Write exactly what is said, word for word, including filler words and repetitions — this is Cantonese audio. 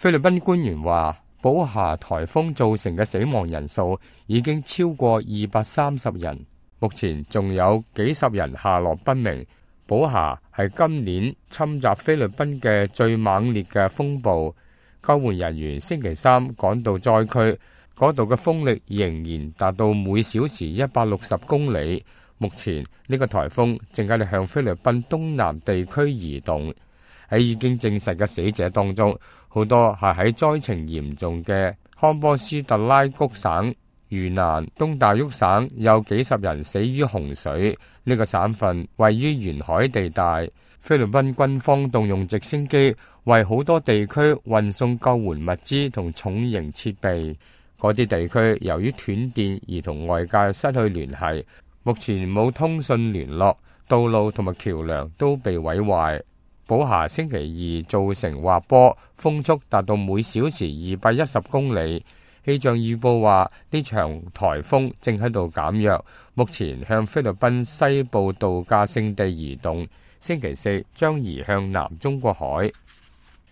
菲律賓官員話，寶霞颱風造成嘅死亡人數已經超過二百三十人，目前仲有幾十人下落不明。寶霞係今年侵襲菲律賓嘅最猛烈嘅風暴，救援人員星期三趕到災區，嗰度嘅風力仍然達到每小時一百六十公里。目前呢個颱風正喺度向菲律賓東南地區移動。喺已經證實嘅死者當中，好多係喺災情嚴重嘅康波斯特拉谷省、嶼南、東大沃省，有幾十人死於洪水。呢個省份位於沿海地帶，菲律賓軍方動用直升機為好多地區運送救援物資同重型設備。嗰啲地區由於斷電而同外界失去聯繫，目前冇通訊聯絡，道路同埋橋樑都被毀壞。寶霞星期二造成滑坡，風速達到每小時二百一十公里。氣象預報話呢場颱風正喺度減弱，目前向菲律賓西部度假勝地移動，星期四將移向南中國海。